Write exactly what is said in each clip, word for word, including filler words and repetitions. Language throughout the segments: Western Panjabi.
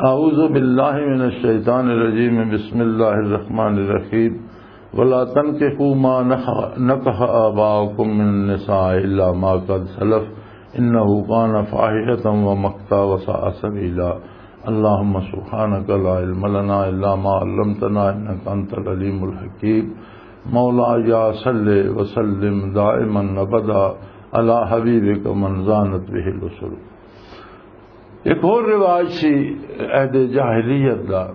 أعوذ بالله من الشيطان الرجيم. بسم الله الرحمن الرحيم. ولا تنكحوا ما نخ-، نكح آباؤكم من النساء إلا ما قد سلف إنه كان فاحشة ومقتا وساء سبيلا. اللهم سبحانك لا علم لنا إلا ما علمتنا إنك أنت العليم الحكيم. مولاي صل وسلم دائما أبدا على حبيبك من زانت به الأسر. ایک ہور رواج سی عہد جاہلیت دا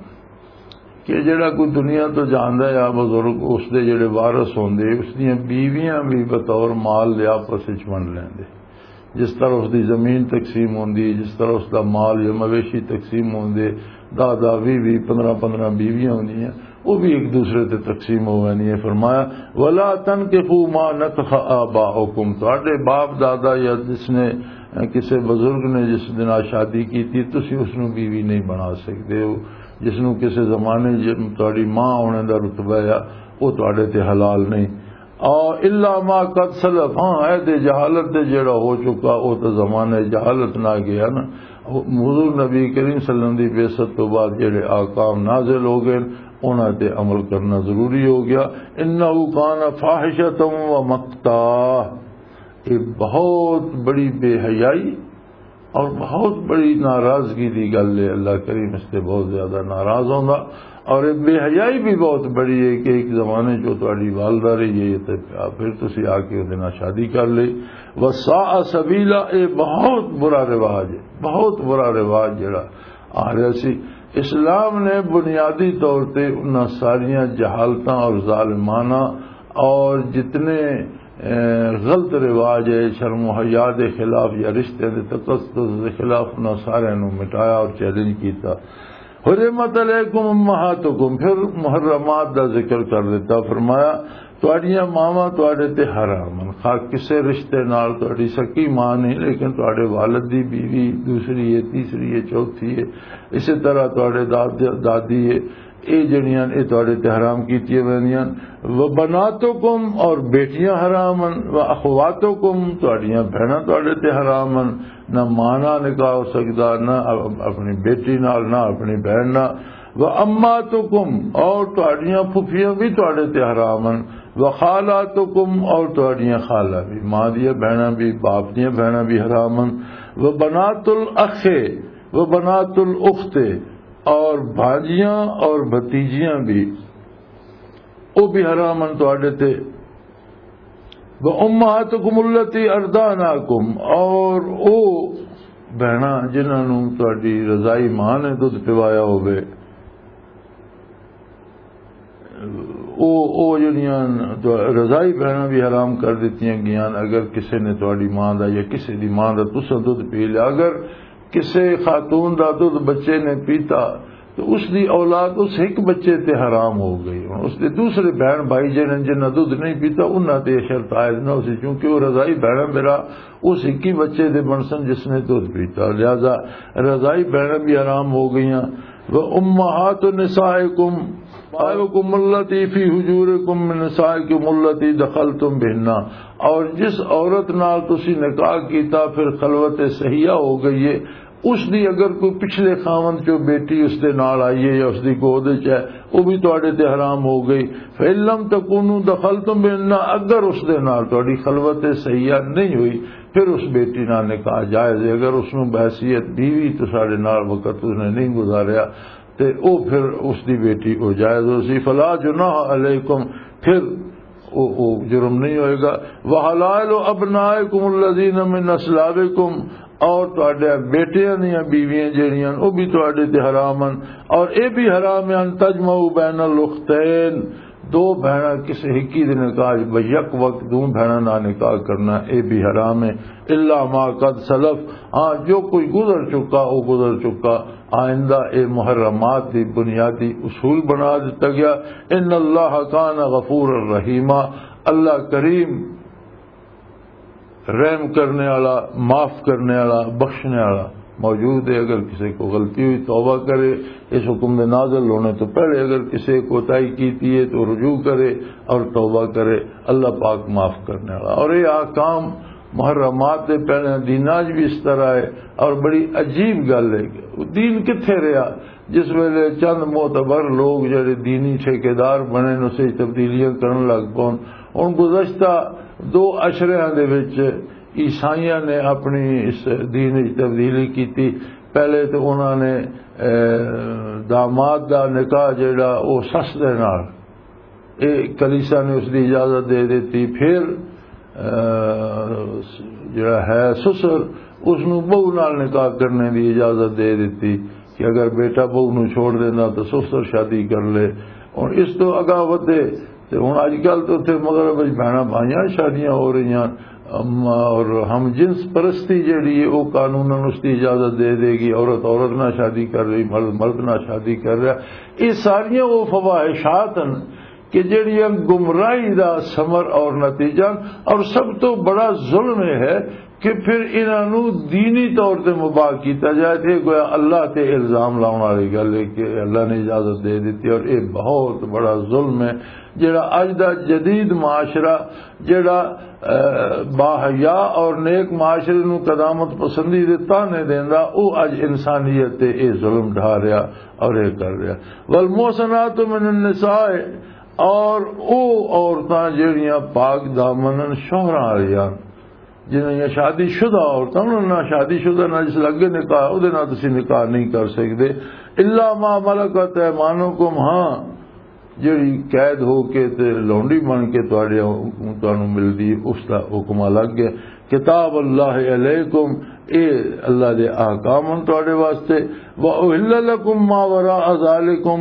کہ جڑا کوئی دنیا تو جاندا ہے بزرگ، اس دے جڑے وارث ہوندے، اس دیاں بیویاں بھی بطور مال دے آپس وچ ونڈ لیندے۔ جس طرح اس دی زمین تقسیم ہوندی، جس طرح اس دا مال یا مویشی تقسیم ہوندے، دہ دہ، ویہ ویہ، پندرہ پندرہ بیویاں ہوندیاں، وہ بھی ایک دوسرے تے تقسیم ہو ویندیاں۔ فرمایا، "ولا تنکحوا ما نکح آباؤکم"، تہاڈے باپ دادا یا جس نے، کسے بزرگ نے جس دے نال شادی کیتی، تسی اس نو بیوی نہیں بنا سکدے ہو۔ جس نو کسے زمانے جے تہاڈی ماں ہونے دا رتبہ ہے، وہ تہاڈے تے حلال نہیں۔ اور الا ما قد سلف، ہاں، عہد جہالت دے جڑا ہو چکا، وہ تو زمانہ جہالت نہ گیا نا۔ حضور نبی کریم صلی اللہ علیہ وسلم دی بعثت تو بعد جڑے احکام نازل ہو گئے، انہاں تے عمل کرنا ضروری ہو گیا۔ انہ کان فاحشۃ و مقتا، یہ بہت بڑی بے حیائی اور بہت بڑی ناراضگی دی گل ہے۔ اللہ کریم اس سے بہت زیادہ ناراض ہوندا۔ اور یہ بے حیائی بھی بہت بڑی ہے کہ ایک زمانے جو تہاڈی والدہ رہی ہے، تے پھر تسی آ کے اودے نال شادی کر لئی۔ وساء سبیلا، یہ بہت برا رواج ہے، بہت برا رواج جڑا آ رہا سی۔ اسلام نے بنیادی طور تے انہاں ساریاں جہالتاں اور ظالمانہ اور جتنے، اے، غلط رواج ہے، شرم و حیا دے خلاف یا رشتے دے تقدس دے خلاف، انہاں سارے نوں مٹایا اور چیلنج کیتا۔ حرمت علیکم امہاتکم، پھر محرمات دا ذکر کر دیتا، فرمایا، تہاڈیاں ماواں تہاڈے تے حرام ہن، خواہ کسے رشتے نال، تہاڈی سکی ماں نہیں، لیکن تہاڈے والد دی بیوی دوسری ہے، تیسری ہے، چوتھی ہے، اسی طرح تہاڈے داد-، دادی ہے، اے جڑیاں اے تہاڈے تے حرام کیتیاں ویندیاں۔ و بناتکم، اور بیٹیاں حرام ہن، و اخواتکم، تہاڈیاں بہناں تہاڈے تے حرام ہن، نہ ماں نال نکاح ہو سکدا، نہ اپنی بیٹی نال، نہ اپنی بہن نال۔ و اماتکم، اور تہاڈیاں پھپھیاں بھی تہاڈے تے حرام ہن۔ و خالاتکم، اور تہاڈیاں خالہ بھی، ماں دیاں بہناں بھی، باپ دیاں بہناں بھی حرام ہن۔ و بنات الاخ، و بنات الاخت، اور بھانجیاں اور بھتیجیاں بھی، وہ بھی حرام ہن تہاڈے تے۔ و امہاتکم التی ارداناکم، اور او بہناں جنہاں نوں تہاڈی رضائی ماں نے دودھ پوایا ہوے، او، او جڑیاں رضائی بہناں بھی حرام کر دتیاں گیاں۔ اگر کسے نے تہاڈی ماں دا یا کسے دی ماں دا تساں دودھ پی لیا، اگر کسے خاتون دا دودھ بچے نے پیتا، تو اس دی اولاد اس ایک بچے تے حرام ہو گئی۔ ہن اس دے دوسرے بہن بھائی جنہاں، جنہاں دودھ نہیں پیتا، انہاں تے یہ شرط عائد نہ ہو سی، کیونکہ وہ رضائی بہناں میرا اس ایک ہی بچے دے بنسن جس نے دودھ پیتا، لہذا رضائی بہناں بھی حرام ہو گئیاں۔ و امہات نسائکم، نسائکم التی فی حجورکم من نسائکم التی دخلتم بہن، اور جس عورت نال تسی نکاح کیتا، پھر خلوت صحیحہ ہو گئی ہے، اس دی اگر کوئی پچھلے خاوند چوں بیٹی اس دے نال آئی ہے یا اس دی گود وچ ہے، وہ بھی تواڈے تے حرام ہو گئی۔ فَإِن لَّمْ تَكُونُوا دَخَلْتُم بِهِنَّ، اگر اس دے نال تواڈی خلوت صحیحہ نہیں ہوئی، پھر اس بیٹی نال نکاح جائز ہے۔ اگر اس نوں بحیثیت بیوی تو ساڈے نال وقت اس نے نہیں گزاریا، تے او پھر اس دی بیٹی او جائز ہو سی۔ فلا جناح علیکم، پھر او، او جرم نہیں ہوئے گا۔ وحلائل ابنائکم الذین من اصلابکم، اور تواڈے بیٹیاں دیاں بیویاں جیڑیاں او بھی تواڈے تے حرام ہن، اور اے بھی حرام ہے ان تجمعوا بین الاختین، دو بہناں کسے ہکی دے نکاح وچ، یک وقت دو بہناں نال نکاح کرنا، اے بھی حرام ہے۔ الا ما قد سلف، ہاں جو کوئی گزر چکا، او گزر چکا۔ آئندہ اے محرمات دی بنیادی اصول بنا دتا گیا۔ ان اللہ کان غفور الرحیمہ، اللہ کریم، رحم کرنے والا، معاف کرنے والا، بخشنے والا موجود ہے۔ اگر کسی کو غلطی ہوئی، توبہ کرے، اس حکم دے نازل ہونے تو پہلے اگر کسی کوتاہی کیتی ہے تو رجوع کرے اور توبہ کرے، اللہ پاک معاف کرنے والا۔ اور یہ احکام محرمات دے پہلے دیناں 'چ بھی اس طرح ہے، اور بڑی عجیب گل ہے کہ دین کتھے رہیا؟ جس ویلے چند معتبر لوگ جڑے دینی ٹھیکیدار بنے، نسے تبدیلیاں کرن لگ پون۔ ہن گزشتہ دو عشریاں دے وچ عیسائیاں نے اپنی اس دین وچ تبدیلی کیتی۔ پہلے تو انہاں نے، اے، داماد دا نکاح جڑا، او سس دے نال، اے کلیسا نے اس دی اجازت دے دتی۔ پھر، اے، جڑا ہے سسر، اس نو بہو نال نکاح کرنے دی اجازت دے دتی کہ اگر بیٹا بہو نو چھوڑ دینا تو سسر شادی کر لے۔ اور اس تو اگاں ودے تے ہن اج کل تے اتھے مغرب وچ بھیناں بھائیاں شادیاں ہو رہیاں، ام، اور ہم جنس پرستی جڑی ہے، وہ قانوناً اس کی اجازت دے دے گی۔ عورت عورت نہ شادی کر رہی، مرد مرد نہ شادی کر رہا۔ یہ ساریاں وہ فواحشات ہیں کہ جڑیاں گمراہی دا ثمر اور نتیجہ ہیں۔ اور سب تو بڑا ظلم یہ ہے کہ پھر انہاں نوں دینی طور تے مباح کیتا جائے، تے گویا اللہ تے الزام لاؤن والی گل ہے کہ اللہ نے اجازت دے دتی، اور یہ بہت بڑا ظلم ہے۔ جڑا اج دا جدید معاشرہ، جڑا، اے، باحیا اور نیک معاشرے نوں قدامت پسندی دے تانے دیندا، او اج انسانیت تے اے ظلم ڈھا رہیا اور اے کر رہیا۔ والمحصنات من النساء، اور او عورتاں جڑیاں پاک دامن شوہراں والیاں، جنہاں دیاں شادی شدہ عورتاں، انہاں نال شادی شدہ نال جس لگے نکاح، اودے نال تسی نکاح نہیں کر سکدے۔ الا ما ملکت ایمانکم، ہاں، جڑی قید ہو کے تے لونڈی بن کے تہاڈے، تانوں ملدی، اس دا حکم الگ ہے۔ کتاب اللہ علیکم، اے اللہ دے احکام ہن تہاڈے واسطے۔ واحل لکم ما وراء ذالکم،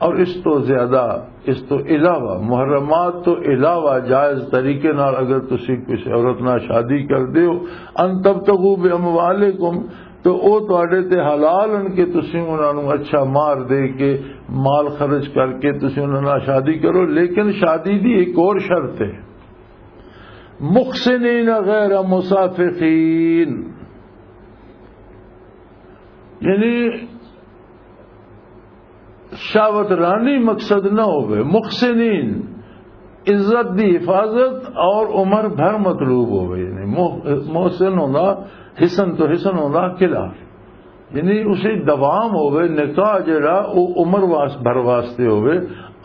اور اس تو زیادہ، اس تو علاوہ، محرمات تو علاوہ جائز طریقے نال اگر تسی کسی عورت نال شادی کردے ہو، ان تبتغوا باموالکم، تو او تہاڈے تے حلال ہن کہ تسی انہاں نوں اچھا مہر دے کے، مال خرچ کر کے تسی انہاں نال شادی کرو، لیکن شادی دی ایک اور شرط ہے، محصنین غیر مسافحین، یعنی شہوت رانی مقصد نہ ہوئے، محسنین، عزت دی حفاظت اور عمر بھر مطلوب ہوئے۔ یعنی مح-، محسن ہوندا، حسن تو حسن ہوندا قلعہ، یعنی اسے دوام ہوئے، نکاح جڑا او عمر واس-، بھر واسطے ہوئے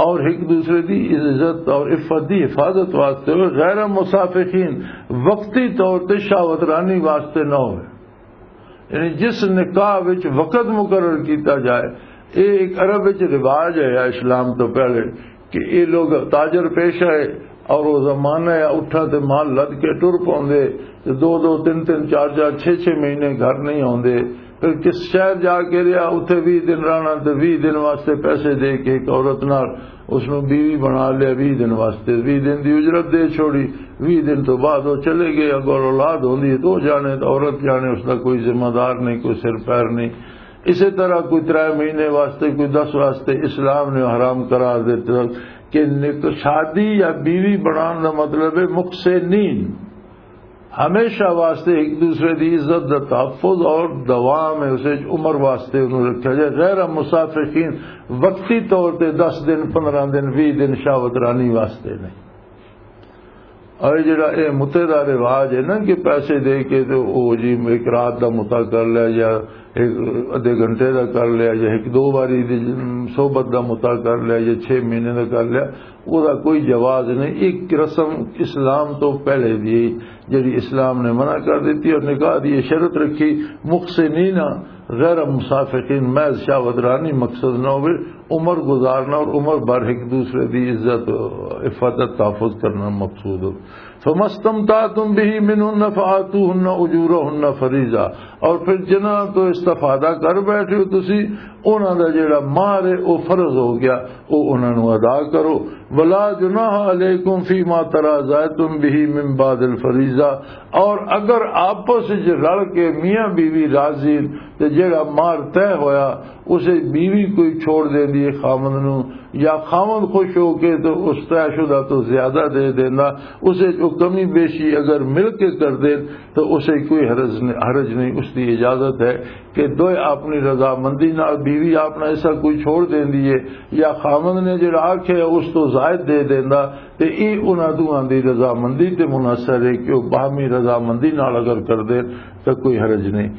اور ایک دوسرے دی عزت اور عفت دی حفاظت واسطے ہوئے، غیر مسافقین، وقتی طور تے شہوت رانی واسطے نہ ہوئے۔ یعنی جس نکاح وچ وقت مقرر کیتا جائے، اے ایک عرب وچ رواج ہے اسلام تو پہلے، کہ اے لوگ تاجر پیشہ ہے اور وہ زمانہ ہے اٹھاں تے مال لد کے ٹر پوندے، تے دو دو، تین تین، چار چار، چھ چھ مہینے گھر نہیں آوندے۔ پھر کس شہر جا کے رہیا، اتھے ویہہ دن رہنا تے ویہہ دن واسطے پیسے دے کے ایک عورت نال اس نوں بیوی بنا لیا، ویہہ دن واسطے، ویہہ دن دی اجرت دے چھوڑی، ویہہ دن تو بعد وہ چلے گئے۔ اگر اولاد ہوندی ہے تو وہ جانے، تو عورت جانے، اس دا کوئی ذمہ دار نہیں، کوئی سر پیر نہیں۔ اسی طرح کوئی ترے مہینے واسطے، کوئی دس واسطے، اسلام نے حرام قرار دیتے کہ نک-، شادی یا بیوی بنان دا مطلب ہے مقصے نیند۔ ہمیشہ واسطے ایک دوسرے دی عزت دا تحفظ اور دوام ہے، اسے عمر واسطے انہوں رکھا جائے۔ غیر مسافقین، وقتی طور تے دس دن، پندرہ دن، ویہہ دن شہوت رانی واسطے نہیں۔ اور یہ جڑا اے متحدہ رواج ہے نا کہ پیسے دے کے تو او جی ایک رات دا متا کر لیا یا ایک ادھے گھنٹے دا کر لیا یا ایک دو باری دی صحبت دا متا کر لیا یا چھ مہینے دا کر لیا، وہ دا کوئی جواز نہیں۔ ایک رسم اسلام تو پہلے دی جڑی اسلام نے منع کر دیتی اور نکاح دی یہ شرط رکھی، محسنین، غیر مسافقین، محض شہوت رانی مقصد نہ ہوئے، عمر گزارنا اور عمر بھر ایک دوسرے دی عزت، عفت تحفظ کرنا مقصود ہو۔ فما استمتعتم به منهن فآتوهن أجورهن فريضة، اور پھر جنہاں تو استفادہ کر بیٹھے ہو تسی، انہاں دا جڑا مہر ہے، او فرض ہو گیا، او انہاں نوں ادا کرو۔ ولا جناح علیکم فیما تراضیتم به من بعد الفریضہ، اور اگر آپس وچ رل کے میاں بیوی راضی تے جڑا مہر طے ہویا، اسے بیوی کوئی چھوڑ دیندی ہے خاوند نوں، یا خاوند خوش ہو کے تو اس طے شدہ تو زیادہ دے دیندا، اسے جو کمی بیشی اگر مل کے کر دین تو اسے کوئی حرج نہیں، حرج نہیں، اس دی اجازت ہے کہ دوئے اپنی رضامندی نال، بیوی اپنا حصہ کوئی چھوڑ دیندی ہے یا خاوند نے جڑا آکھے اس تو زائد دے دیندا، تے اے انہاں دوہاں دی رضامندی تے منحصر ہے کہ وہ باہمی رضامندی نال اگر کر دین تو کوئی حرج نہیں۔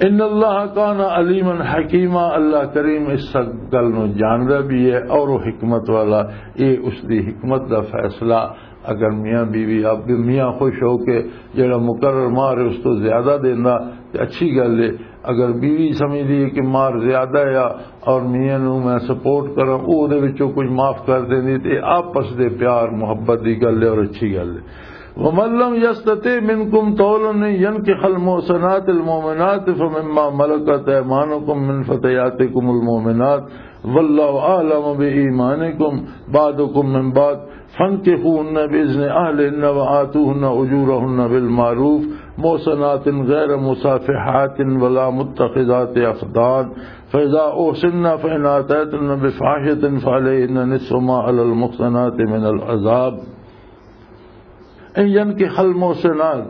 ان اللہ کان علیما حکیما، اللہ کریم اس سب گل نو جاندا بھی ہے اور وہ حکمت والا۔ یہ اس دی حکمت دا فیصلہ۔ اگر میاں بیوی، آپ بھی میاں خوش ہو کے جڑا مقرر مہر ہے اس تو زیادہ دیندا تے اچھی گل ہے۔ اگر بیوی سمجھدی ہے کہ مہر زیادہ ہے اور میاں نو میں سپورٹ کراں، او دے وچوں کچھ معاف کر دیندی تے آپس دے پیار محبت دی گل ہے اور اچھی گل ہے۔ ومن لم يستطع منكم طولا أن ينكح المحصنات المؤمنات فمما ملكت أيمانكم من فتياتكم المؤمنات والله أعلم بإيمانكم بعضكم من بعض فانكحوهن بإذن أهلهن وآتوهن أجورهن بالمعروف محصنات غير مسافحات ولا متخذات أخدان فإذا أحصن فإن أتيتن بفاحشة فعليهن نصف ما على المحصنات من العذاب۔ ان ينكح المحصنات،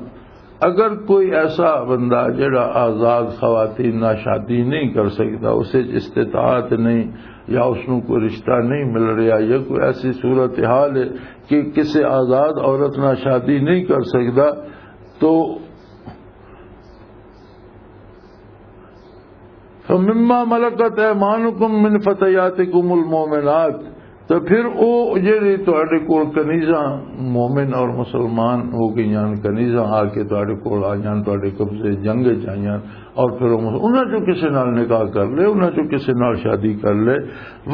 اگر کوئی ایسا بندہ جڑا آزاد خواتین نال شادی نہیں کر سکتا، اسے استطاعت نہیں یا اس نوں کوئی رشتہ نہیں مل رہا یا کوئی ایسی صورتحال ہے کہ کسی آزاد عورت نال شادی نہیں کر سکتا، تو فمما ملکت ایمانکم من فتیاتکم المؤمنات، تو پھر او جڑی تہاڈے کول کنیزاں مومن اور مسلمان ہو گئیاں، کنیزاں آ کے تہاڈے کول آئیاں، تہاڈے قبضے جنگ وچ آئیاں، اور پھر او مس-، انہاں چوں کسے نال نکاح کر لے، انہاں چوں کسے نال شادی کر لے۔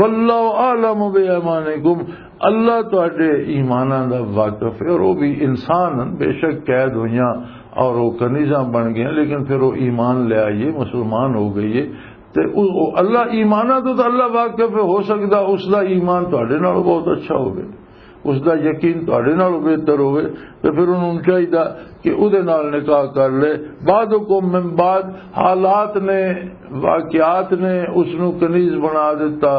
واللہ اعلم بایمانکم، اللہ تہاڈے ایماناں دا واقف ہے، اور وہ بھی انسان ہن، بے شک قید ہوئیاں اور وہ کنیزاں بن گئے، لیکن پھر وہ ایمان لے آئیے، مسلمان ہو گئی ہے۔ تے او، او اللہ ایماناں تو، تو اللہ واقف ہے، ہو سکدا اس دا ایمان تہاڈے نالوں بہت اچھا ہوے، اس دا یقین تہاڈے نالوں بہتر ہوے، تے پھر انہوں چاہیدا کہ اودے نال نکاح کر لے۔ بعضکم من بعض، حالات نے، واقعات نے اس نو کنیز بنا دیتا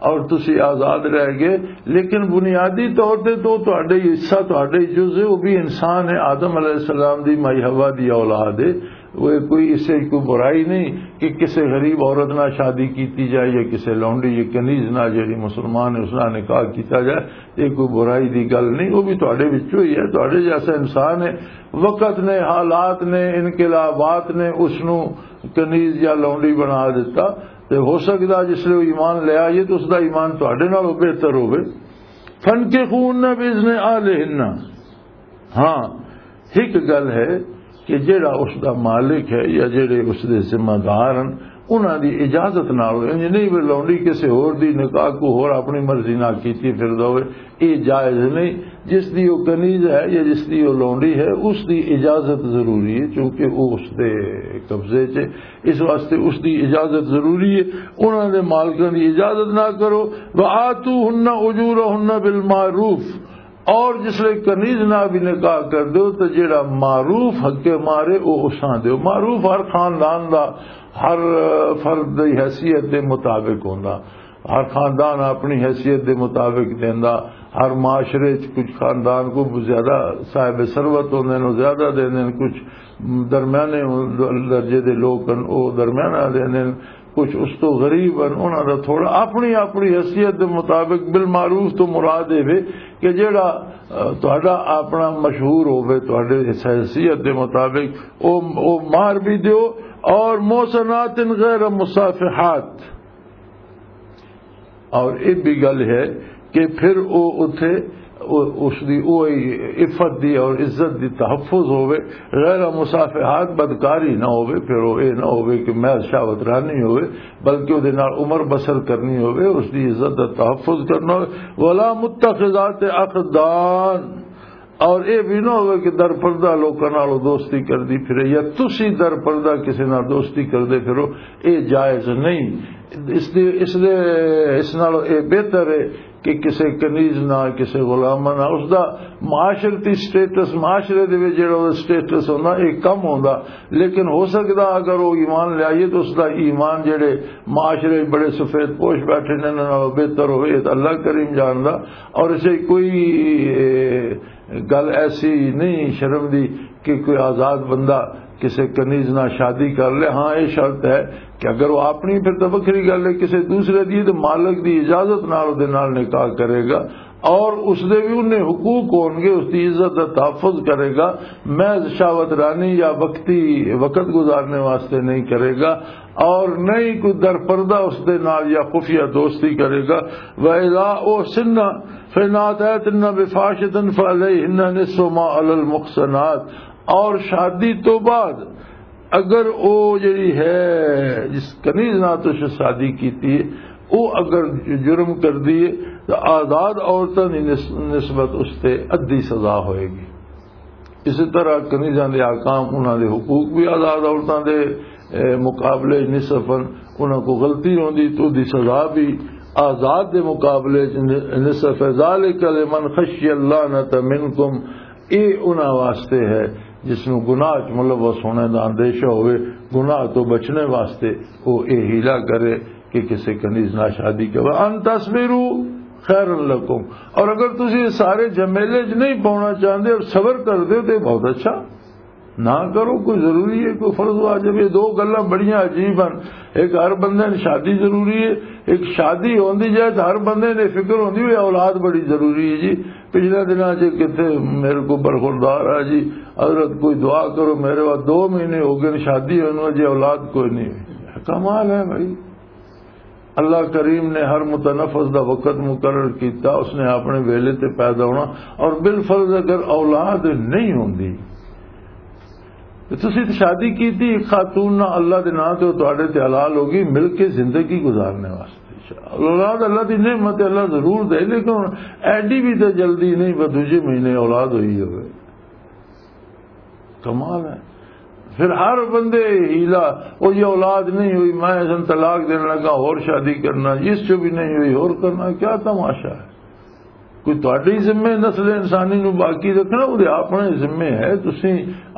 اور تسی آزاد رہ گئے، لیکن بنیادی طور تے تو تہاڈے حصہ، تہاڈے جزء، وہ بھی انسان ہے، آدم علیہ السلام دی مائی حوا دی اولاد ہے۔ وہ کوئی، اس سے کوئی برائی نہیں کہ کسی غریب عورت نہ شادی کیتی جائے یا کسی لونڈی یا کنیز نہ جڑی مسلمان ہے اس نہ نکاح کیتا جائے، یہ کوئی برائی دی گل نہیں۔ وہ بھی تہاڈے وچوں ہی ہے، تہاڈے جیسا انسان ہے۔ وقت نے، حالات نے، انقلابات نے اس نو کنیز یا لونڈی بنا دیتا۔ تے ہو سکدا جس لے وہ ایمان لے آئیے تو اس دا ایمان تہاڈے نالوں بہتر ہوے۔ فانکحوہن باذن اہلہن۔ ہاں، ایک گل ہے کہ جڑا اس دا مالک ہے یا جڑے اس دے ذمہ دار ہیں، انہاں دی اجازت نال ہوئے۔ انج نہیں بھی لونڈی کسے ہور دی نکاح کو ہور اپنی مرضی نال کیتی پھردا ہوئے، یہ جائز نہیں۔ جس دی وہ کنیز ہے یا جس دی وہ لونڈی ہے، اس دی اجازت ضروری ہے، چونکہ وہ اس دے قبضے چ، اس واسطے اس دی اجازت ضروری ہے۔ انہاں دے مالکاں دی اجازت نہ کرو۔ وآتوہن اجورہن بالمعروف، اور جس لے کنیز نہ بھی نکاح کر دیو تو جیڑا معروف حق مارے او اساں دیو۔ معروف ہر خاندان دا، ہر فرد دی حیثیت دے مطابق ہوندا۔ ہر خاندان اپنی حیثیت دے مطابق دیندا۔ ہر معاشرے چ کچھ خاندان کو زیادہ صاحب ثروت ہوندے نے، زیادہ دیندے نے، کچھ درمیانے درجے دے لوگ ہن، او درمیانہ دیندے نے، کچھ اس تو غریب ہن، انہاں دا تھوڑا اپنی اپنی حیثیت دے مطابق۔ بالمعروف تو مراد اے وے کہ جیڑا، آ، تہاڈا اپنا مشہور ہووے، تہاڈے اس حیثیت دے مطابق او، او مہر بھی دیو۔ اور محصنات غیر مصافحات، اور یہ بھی گل ہے کہ پھر او اتھے او، اس دی او عفت دی اور عزت دی تحفظ ہووے، غیر مصافحات، بدکاری نہ ہووے، پھر او اے نہ ہووے کہ محض شہوت رانی ہووے، بلکہ او دے نال عمر بسر کرنی ہووے، اس دی عزت دا تحفظ کرنا ہووے۔ ولا متخذات اخدان، اور اے بھی نہ ہووے کہ در پردہ لوکاں نال دوستی کردی پھرے یا تسی در پردہ کسے نال دوستی کردے پھرو، اے جائز نہیں۔ اس دے، اس دے، اس نال اے بہتر ہے کہ کسے کنیز نال، کسے غلام نال، اس دا معاشرتی سٹیٹس، معاشرے دے وچ جڑا او سٹیٹس ہوندا، اے کم ہوندا۔ لیکن ہو سکدا اگر او ایمان لے آئیے تو اس دا ایمان جڑے معاشرے وچ بڑے سفید پوش بیٹھے نے انہاں نالوں بہتر ہوئے، اے تے اللہ کریم جاندا۔ اور اسے کوئی، اے، گل ایسی نہیں شرم دی کہ کوئی آزاد بندہ کسے کنیز نال شادی کر لے۔ ہاں، یہ شرط ہے کہ اگر وہ اپنی، پھر تو وکھری گل ہے، کسے دوسرے دی، تو مالک دی اجازت نال اودے نال نکاح کرے گا۔ اور اس دے بھی انہیں حقوق ہون گے، اس دی عزت دا تحفظ کرے گا۔ محض شہوت رانی یا وقتی وقت گزارنے واسطے نہیں کرے گا، اور نہ ہی کوئی در پردہ اس دے نال یا خفیہ دوستی کرے گا۔ وَإِذَا أُحْصِنَّ فَإِنْ أَتَيْنَ بِفَاحِشَةٍ فَعَلَيْهِنَّ نِصْفُ مَا عَلَى الْمُحْصَنَاتِ۔ اور شادی تو بعد اگر او جڑی ہے، جس کنیز نال تساں شادی کیتی ہے، او اگر جرم کر دیے، تو آزاد عورتاں دی نس-، نسبت اس تے ادھی سزا ہوئے گی۔ اسی طرح کنیزاں دے احکام، انہاں دے حقوق بھی آزاد عورتاں دے، اے، مقابلے نصف ہن، انہاں کو غلطی ہوندی تو دی سزا بھی آزاد دے مقابلے چ ن-، نصف ہے۔ ذالک لمن خشی اللعنۃ منکم، اے انہاں واسطے ہے جس نوں گناہ چ ملوث ہونے دا اندیشہ ہوئے، گناہ تو بچنے واسطے وہ اے حیلہ کرے کہ کسے کنیز نہ شادی کرے۔ ان تصبروا خیر لکم، اور اگر تسی سارے جھمیلے چ نہیں پاؤنا چاہندے اور صبر کر دے تو بہت اچھا۔ نہ کرو، کوئی ضروری ہے، کوئی فرض واجب؟ یہ دو گلاں بڑیاں عجیب ہیں۔ ایک ہر بندے نے شادی ضروری ہے، ایک شادی ہوندی جائے تو ہر بندے نے فکر ہوندی ہوئی اولاد بڑی ضروری ہے جی۔ پچھلے دناں چ کتھے میرے کو برخوردار آ جی، حضرت کوئی دعا کرو، میرے واسطے دو مہینے ہو گئے شادی ہونے، اجے اولاد کوئی نہیں ہوئی۔ کمال ہے بھائی، اللہ کریم نے ہر متنفس دا وقت مقرر کیتا، اس نے اپنے ویلے تے پیدا ہونا۔ اور بالفرض اگر اولاد نہیں ہوندی، تے تسی تے شادی کیتی ایک خاتون نال، اللہ دے نام تے، او تہاڈے تے حلال ہوگی، مل کے زندگی گزارنے واسطے۔ اولاد اللہ دی نعمت ہے، اللہ ضرور دے، لیکن ہن ایڈی بھی تے جلدی نہیں، بس دوجے مہینے اولاد ہوئی ہوئے۔ کمال ہے۔ پھر ہر بندے ہیلا، او یہ اولاد نہیں ہوئی، میں اس نوں طلاق دینے لگا، اور شادی کرنا، اس چوں بھی نہیں ہوئی، اور کرنا، کیا تماشا ہے؟ کوئی تہاڈی ذمے نسل انسانی نو باقی رکھنا، وہ اپنے ذمے ہے۔ تسی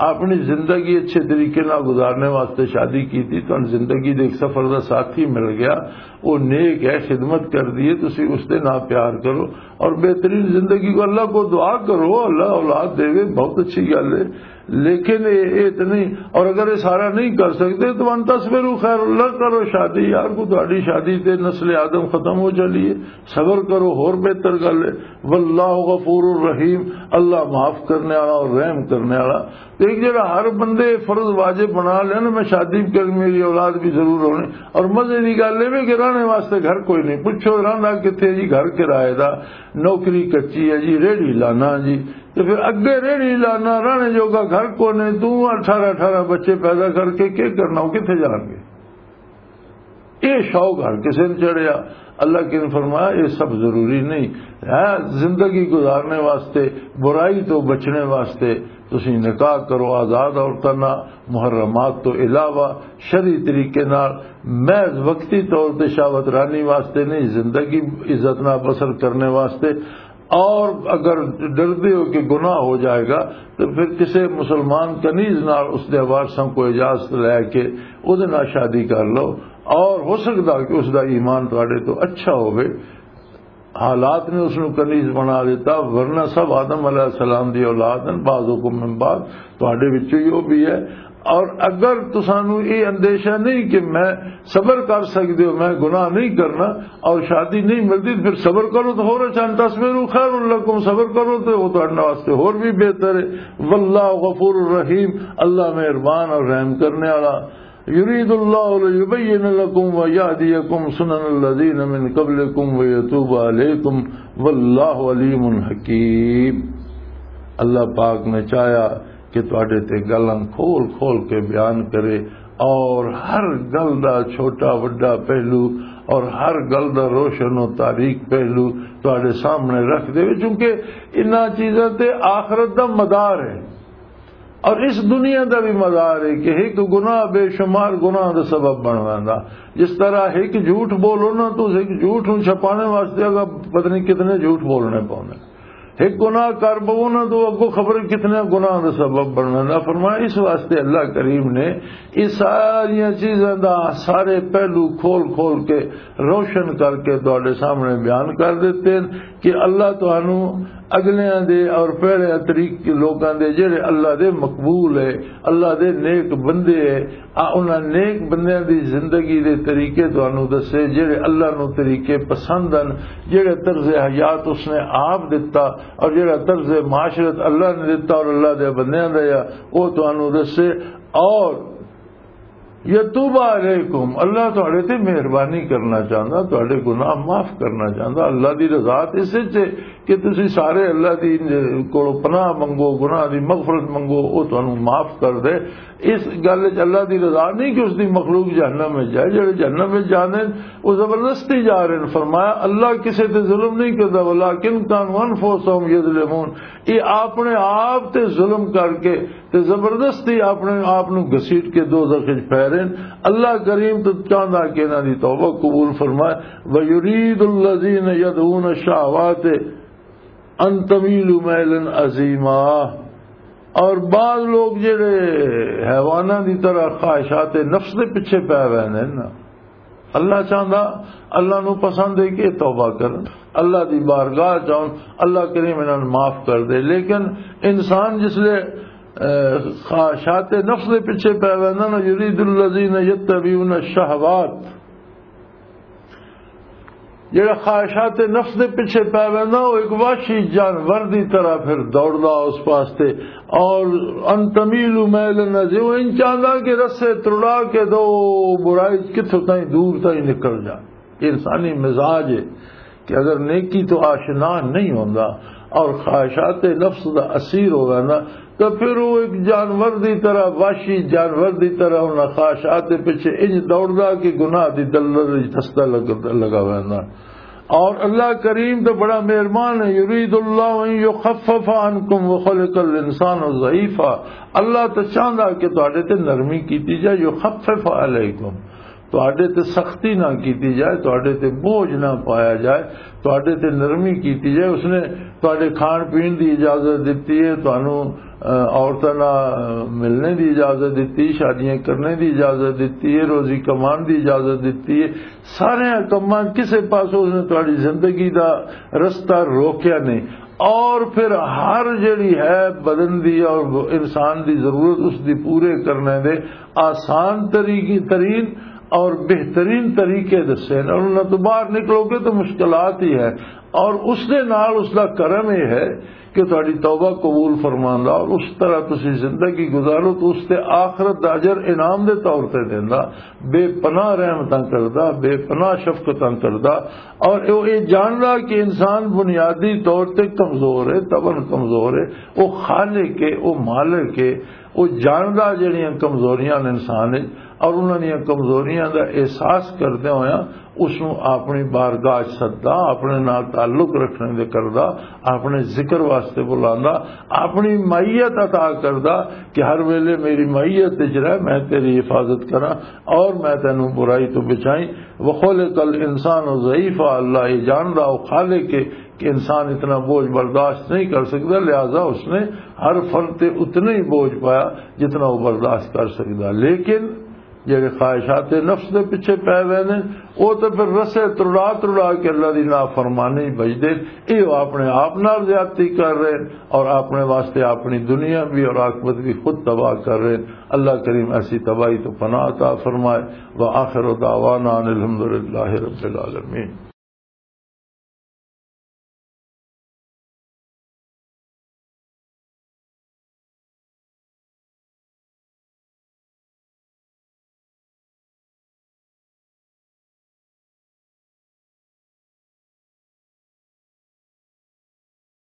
اپنی زندگی اچھے طریقے نال گزارنے واسطے شادی کیتی، تہانوں زندگی دے ایک سفر دا ساتھی مل گیا، وہ نیک ہے، خدمت کر دیے، تسی اس دے نال پیار کرو اور بہترین زندگی کو، اللہ کو دعا کرو، اللہ اولاد دے، بہت اچھی گل ہے۔ لیکن یہ، یہ تو نہیں، اور اگر یہ سارا نہیں کر سکتے تو ان تصبروا خیر، اللہ کرو شادی، یار کو تہاڈی شادی تے نسل آدم ختم ہو چلی ہے۔ صبر کرو، ہور بہتر گل ہے۔ واللہ غفور الرحیم، اللہ معاف کرنے والا اور رحم کرنے والا۔ تے ایک جڑا ہر بندے فرض واجب بنا لیا نا، میں شادی بھی کرنی، میری اولاد بھی ضرور ہونی، اور مزے دی گل اے وی کہ رہنے واسطے گھر کوئی نہیں۔ پوچھو رہندا کتھے جی؟ گھر کرائے دا، نوکری کچی ہے جی، ریڑھی لانا جی، تے پھر اگے ریڑھی لانا، رہنے جوگا گھر کونے، تو اٹھارہ اٹھارہ بچے پیدا کر کے کی کرنا، وہ کتھے جان گے؟ یہ شوق ہر کسی نے چڑھیا۔ اللہ کے نے فرمایا، یہ سب ضروری نہیں ہے۔ زندگی گزارنے واسطے، برائی تو بچنے واسطے تسی نکاح کرو آزاد عورتاں نال، محرمات تو علاوہ، شرعی طریقے نال، محض وقتی طور تے شہوت رانی واسطے نہیں، زندگی عزت نال بسر کرنے واسطے۔ اور اگر ڈردے ہو کہ گناہ ہو جائے گا، تو پھر کسی مسلمان کنیز نال اس دے وارثاں کو اجازت لے کے اس دے نال شادی کر لو، اور ہو سکدا کہ اس دا ایمان تواڈے تو اچھا ہوے، حالات نے اس نو کنیز بنا دیتا، ورنہ سب آدم علیہ السلام دی اولاد ہیں، بعضکم من بعض، تواڈے وچوں ہی وہ بھی ہے۔ اور اگر تسانو یہ اندیشہ نہیں کہ میں صبر کر سکتے ہو، میں گناہ نہیں کرنا اور شادی نہیں ملتی، تو پھر صبر کرو تو ہور اچھا، ان تصبروا خیر لکم، صبر کرو تو وہ تہاڈے واسطے ہور بھی بہتر ہے۔ واللہ غفور الرحیم، اللہ مہربان اور رحم کرنے والا۔ یرید اللہ لیبین لکم ویہدیکم سنن الذین من قبلکم ویتوب علیکم واللہ علیم حکیم۔ اللہ پاک نے چاہیا کہ تواڈے تے گلاں کھول کھول کے بیان کرے، اور ہر گل دا چھوٹا وڈا پہلو اور ہر گل دا روشن و تاریک پہلو تواڈے سامنے رکھ دے، چونکہ انہاں چیزاں تے آخرت دا مدار ہے اور اس دنیا دا بھی مدار ہے کہ ایک گناہ بے شمار گناہ دا سبب بن ویندا۔ جس طرح ایک جھوٹ بولو نا، تو ایک جھوٹ نوں چھپانے واسطے اگر پتہ نہیں کتنے جھوٹ بولنے پوندے۔ ایک گناہ کر پو نا تو اگوں خبر کتنے گناہ دا سبب بننا۔ فرمایا، اس واسطے اللہ کریم نے یہ ساری چیزاں دا سارے پہلو کھول کھول کے، روشن کر کے تواڈے سامنے بیان کر دیتے ہیں کہ اللہ تانوں اگلیاں دے اور پہلے طریق لوکاں دے جڑے اللہ دے مقبول ہے، اللہ دے نیک بندے ہے، آ انہاں نیک بندیاں دی زندگی دے طریقے تانوں دسے، جڑے اللہ نوں طریقے پسند ہن، جڑے طرز حیات اس نے آپ دتا اور جڑا طرز معاشرت اللہ نے دتا اور اللہ دے بندیاں دا یا، او تانوں دسے۔ اور یتوب علیکم، اللہ تہاڈے تے مہربانی کرنا چاہندا، تہاڈے گناہ معاف کرنا چاہندا۔ اللہ دی رضا تے اس وچ ہے کہ تسی سارے اللہ دی کولوں پناہ منگو، گناہ دی مغفرت منگو، او تانوں معاف کر دے۔ اس گل وچ اللہ دی رضا نہیں کہ اس دی مخلوق جہنم وچ جائے۔ جڑے جہنم وچ جاندے نے، او زبردستی جا رہے ہیں۔ فرمایا، اللہ کسے تے ظلم نہیں کردا، ولکن کانوا انفسہم یظلمون۔ یہ اپنے آپ تے ظلم کر کے تے زبردستی اپنے آپ نو گھسیٹ کے دوزخ وچ پھیرن۔ اللہ کریم تو چاہندا کہ انہاں دی توبہ قبول فرمائے۔ وَيُرِيدُ الَّذِينَ يَدْعُونَ الشَّهَوَاتِ أَن تَمِيلُوا مَيْلًا عَظِيمًا۔ اور بعض لوگ جڑے حیواناں دی طرح خواہشات نفس دے پیچھے پے ہوئے نے نا، اللہ چاہندا، اللہ نو پسند ہے کہ توبہ کرن، اللہ دی بارگاہ جاؤن، اللہ کریم انہاں نوں معاف کر دے۔ لیکن انسان جس لے، اے، خواہشات نفس دے پیچھے پے ویندا نا، یرید الذین یتبعون الشہوات، جڑا خواہشات نفس دے پیچھے پے ویندا، وہ ایک وحشی جانور دی طرح پھر دوڑدا اس واسطے۔ اور ان تمیل میل نہ جی، وہ ان چاہندا کہ رسے تڑا کے دو برائی کتھوں تائیں دور تائیں نکل جا۔ یہ انسانی مزاج ہے کہ اگر نیکی تو آشنا نہیں ہوندا اور خواہشات نفس دا اسیر ہو ویندا، تو پھر وہ ایک جانور دی طرح، وحشی جانور دی طرح انہاں خواہشات دے پیچھے انج دوڑدا کہ گناہ دی دلدل وچ دستا لگ-، لگا ویندا۔ اور اللہ کریم تو بڑا مہربان ہے، یرید اللہ ان یخفف عنکم وخلق الانسان ضعیفا۔ اللہ تو چاہندا کہ تہاڈے تے نرمی کیتی جائے، یخفف علیکم، تہاڈے تے سختی نہ کیتی جائے، تہاڈے تے بوجھ نہ پایا جائے، تہاڈے تے نرمی کیتی جائے۔ اس نے تہاڈے کھان پین دی اجازت دتی ہے، تہانوں، اہ، عورتاں نال ملنے دی اجازت دتی، شادیاں کرنے دی اجازت دتی ہے، روزی کمان دی اجازت دتی ہے۔ سارے کماں کسے پاسوں اس نے تہاڈی زندگی دا رستہ روکیا نہیں۔ اور پھر ہر جڑی ہے بدن دی اور انسان دی ضرورت، اس دی پورے کرنے دے آسان طریقے، ترین اور بہترین طریقے دسے نے۔ اور انہاں تو باہر نکلو گے تو مشکلات ہی ہے۔ اور اس دے نال اس دا کرم یہ ہے کہ تہاڈی توبہ قبول فرماندا اور اس طرح تسی زندگی گزارو تو اس تے آخرت دا اجر انعام دے طور تے دیندا، بے پناہ رحمتاں کردا، بے پناہ شفقتاں کردا۔ اور او یہ جاندا کہ انسان بنیادی طور تے کمزور ہے، طبعاً کمزور ہے، او خالق ہے، او مالک ہے، او جاندا جڑیاں کمزوریاں نے انسان وچ، اور انہاں دیاں کمزوریاں دا احساس کردے ہویا اس نوں اپنی بارگاہ چ سددا، اپنے نال تعلق رکھنے دے کردا، اپنے ذکر واسطے بلاندا، اپنی معیت عطا کردا کہ ہر ویلے میری معیت وچ رہ، میں تیری حفاظت کراں اور میں تینوں برائی تو بچائیں۔ وخلق الانسان ضعیفا، اللہ یہ جاندا، او خالق ہے کہ انسان اتنا بوجھ برداشت نہیں کر سکتا، لہذا اس نے ہر فرد تے اتنا ہی بوجھ پایا جتنا وہ برداشت کر سکتا۔ لیکن جڑے خواہشات نفس دے پیچھے پے ہوئے نے، وہ تو پھر رسے ترڑا ترڑا کے اللہ دی نافرمانی بجدے۔ یہ وہ اپنے آپ نال زیادتی کر رہے ہیں اور اپنے واسطے اپنی دنیا بھی اور آخرت بھی خود تباہ کر رہے ہیں۔ اللہ کریم ایسی تباہی تو پناہ عطا فرمائے۔ وآخر دعوانا ان الحمدللہ رب العالمین۔